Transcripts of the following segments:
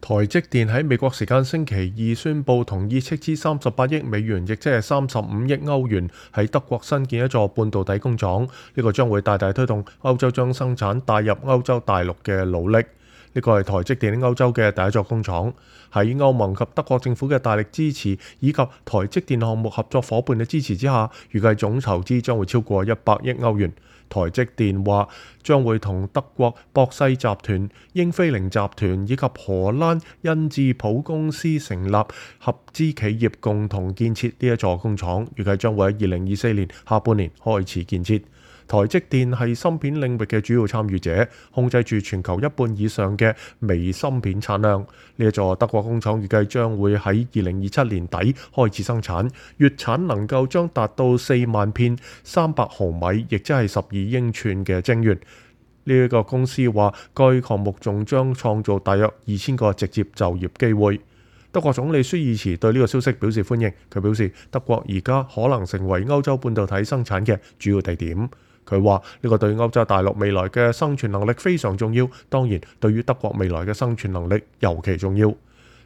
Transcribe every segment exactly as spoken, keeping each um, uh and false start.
台積電喺美國時間星期二宣布同意斥資三十八億美元，亦即係三十五億歐元，喺德國新建一座半導體工廠。呢個將會大大推動歐洲將生產帶入歐洲大陸嘅努力。呢個係台積電喺歐洲嘅第一座工廠。喺歐盟及德國政府嘅大力支持，以及台積電項目合作伙伴嘅支持之下，預計總籌資將會超過一百億歐元。台積電話將會同德國博世集團、英飛凌集團以及荷蘭恩智浦公司成立合資企業，共同建設呢一座工廠，預計將會喺二零二四年下半年開始建設。台積電係芯片領域嘅主要參與者，控制住全球一半以上嘅微芯片產量。呢一座德國工廠預計將會喺二零二七年底開始生產，月產能夠將達到四萬片三百毫米，亦即係十二英寸嘅晶圓。呢一個公司話，該項目仲將創造大約二千個直接就業機會。德國總理舒爾茨對呢個消息表示歡迎，佢表示德國而家可能成為歐洲半導體生產嘅主要地點。佢話呢個對歐洲大陸未來嘅生存能力非常重要，當然對於德國未來嘅生存能力尤其重要。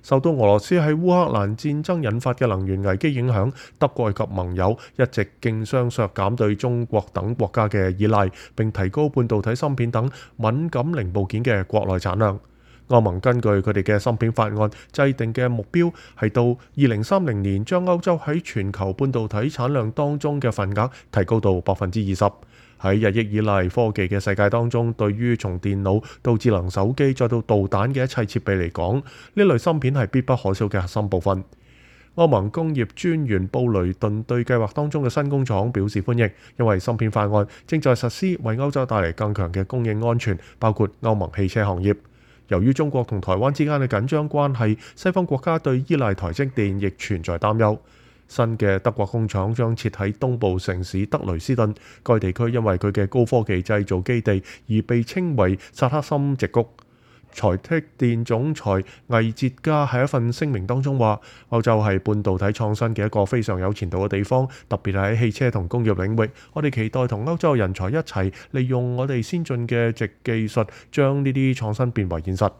受到俄羅斯喺烏克蘭戰爭引發嘅能源危機影響，德國及盟友一直競相削減對中國等國家嘅依賴，並提高半導體芯片等敏感零部件嘅國內產量。歐盟根據佢哋嘅芯片法案制定嘅目標係到二零三零年將歐洲喺全球半導體產量當中嘅份額提高到百分之二十。喺日益依賴科技嘅世界當中，對於從電腦到智能手機再到導彈嘅一切設備嚟講，呢類芯片係必不可少嘅核心部分。歐盟工業專員布雷頓對計劃當中嘅新工廠表示歡迎，因為芯片法案正在實施，為歐洲帶嚟更強嘅供應安全，包括歐盟汽車行業。由於中國同台灣之間嘅緊張關係，西方國家對依賴台積電亦存在擔憂。新嘅德國工廠將設喺東部城市德累斯頓，該地區因為佢嘅高科技製造基地而被稱為薩克森矽谷。台積電總裁魏哲嘉喺一份聲明當中話，歐洲係半導體創新嘅一個非常有前途嘅地方，特別係喺汽車同工業領域。我哋期待同歐洲人才一齊利用我哋先進嘅矽技術，將呢啲創新變為現實。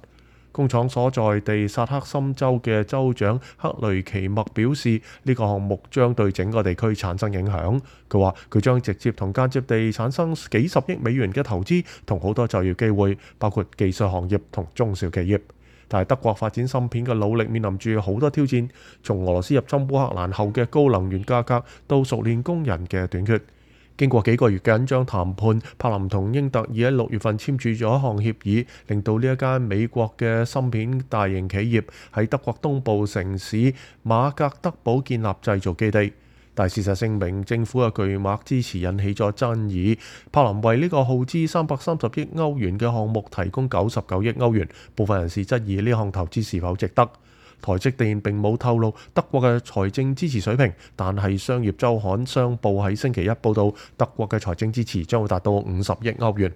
工廠所在地薩克森州嘅州長克雷奇默表示，呢、這個項目將對整個地區產生影響。佢話佢將直接同間接地產生幾十億美元嘅投資同好多就業機會，包括技術行業同中小企業。但係德國發展芯片嘅努力面臨住好多挑戰，從俄羅斯入侵烏克蘭後嘅高能源價格到熟練工人嘅短缺。經過幾個月緊張談判，柏林同英特爾喺六月份簽署咗一項協議，令到呢一間美國嘅芯片大型企業喺德國東部城市馬格德堡建立製造基地。但事實證明，政府嘅巨額支持引起咗爭議。柏林為呢個耗資三百三十億歐元嘅項目提供九十九億歐元，部分人士質疑呢項投資是否值得。台積電並冇透露德國嘅財政支持水平，但係商業週刊商報喺星期一報道，德國嘅財政支持將會達到五十億歐元。